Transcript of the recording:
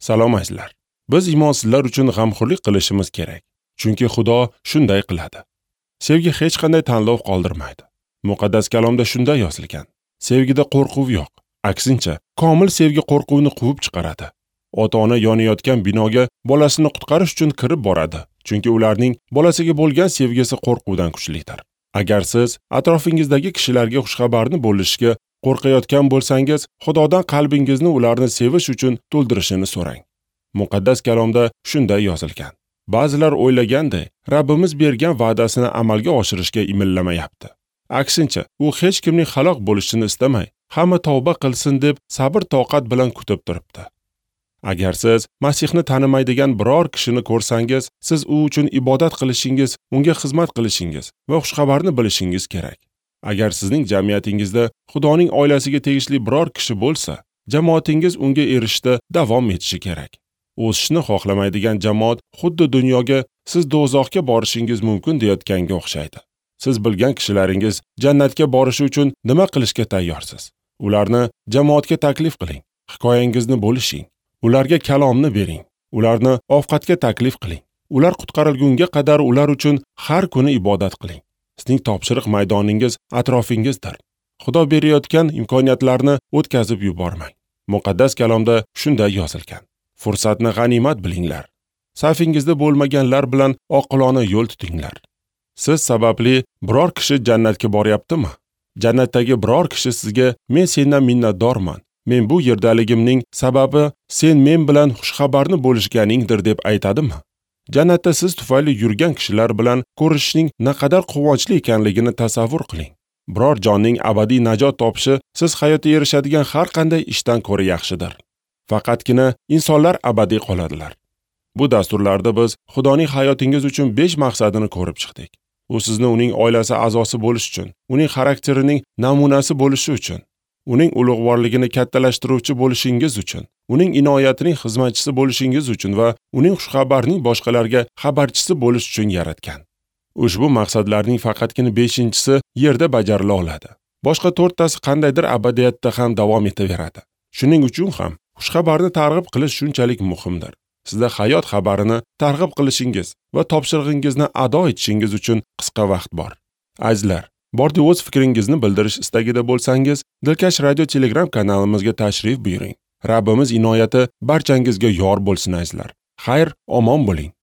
Salom azizlar. Biz imonsizlar uchun g'amxo'rlik qilishimiz kerak, chunki Xudo shunday qiladi. Sevgi hech qanday tanlov qoldirmaydi. Muqaddas kalomda shunday yozilgan. Sevgida qo'rquv yo'q. Aksincha, komil sevgi qo'rquvni quvib chiqaradi. Ota-ona yonayotgan binoga bolasini qutqarish uchun kirib boradi, chunki ularning bolasiga bo'lgan sevgisi qo'rquvdan kuchlidir. Agar siz atrofingizdagi kishilarga xushxabarni bo'lishga qo'rqayotgan bo'lsangiz, Xudodan qalbingizni ularni sevish uchun to'ldirishini so'rang. Muqaddas kalomda shunday yozilgan. Ba'zilar o'ylaganday, Rabbimiz bergan va'dasini amalga oshirishga imillamayapti. Aksincha, u hech kimning halok bo'lishini istamay, hamma tavba qilsin deb sabr-toqat bilan kutib turibdi. Agar siz Masihni tanimaydigan biror kishini ko'rsangiz, siz u uchun ibodat qilishingiz, unga xizmat qilishingiz va xushxabarni bilishingiz kerak. Agar sizning jamiyatingizda Xudoning oilasiga tegishli biror kishi bo'lsa, jamoatingiz unga erishishda davom etishi kerak. O'sishni xohlamaydigan jamoat xuddi dunyoga siz do'zaxga borishingiz mumkin deyotganga o'xshaydi. Siz bilgan kishilaringiz jannatga borishi uchun nima qilishga tayyorsiz? Ularni jamoatga taklif qiling, hikoyangizni bo'lishing, ularga kalomni bering, ularni ovqatga taklif qiling. Ular qutqarilgunga qadar ular uchun har kuni ibodat qiling. Sizning topshiriq maydoningiz atrofingizdir. Xudo berayotgan imkoniyatlarni o'tkazib yubormang. Muqaddas kalomda shunday yozilgan. Fursatni g'animat bilinglar. Safingizda bo'lmaganlar bilan oqilona yo'l tutinglar. Siz sababli biror kishi jannatga boryaptimi? Jannatdagi biror kishi sizga men sendan minnatdorman. Men bu yerdaligimning sababi sen men bilan xushxabarni bo'lishganingdir deb aytadimi? Jannatda siz tufayli yurgan kishilar bilan ko'rishishning naqadar quvonchli ekanligini tasavvur qiling. Biror jonning abadiy najot topishi siz hayotda erishadigan har qanday ishdan ko'ra yaxshidir. Faqatgina insonlar abadiy qoladilar. Bu dasturlarda biz Xudoning hayotingiz uchun 5 maqsadini ko'rib chiqdik. U sizni uning oilasi a'zosi bo'lish uchun, uning xarakterining namunasi bo'lishi uchun, uning ulug'vorligini kattalashtiruvchi bo'lishingiz uchun, uning inoyatining xizmatchisi bo'lishingiz uchun va uning xushxabarining boshqalarga xabarchisi bo'lish uchun yaratgan. Ushbu maqsadlarning faqatgina 5-inchisi yerda bajarila oladi. Boshqa 4 tasi qandaydir abadiyatda ham davom etaveradi. Shuning uchun ham xushxabarni targ'ib qilish shunchalik muhimdir. Sizda hayot xabarini targ'ib qilishingiz va topshirig'ingizni ado etishingiz uchun qisqa vaqt bor. Azizlar, bordi o'z fikringizni bildirish istagida bo'lsangiz, Dilkash Radio Telegram kanalimizga tashrif buyuring. Rabbimiz inoyati barchangizga yor bo'lsin azizlar. Xayr, omon bo'ling.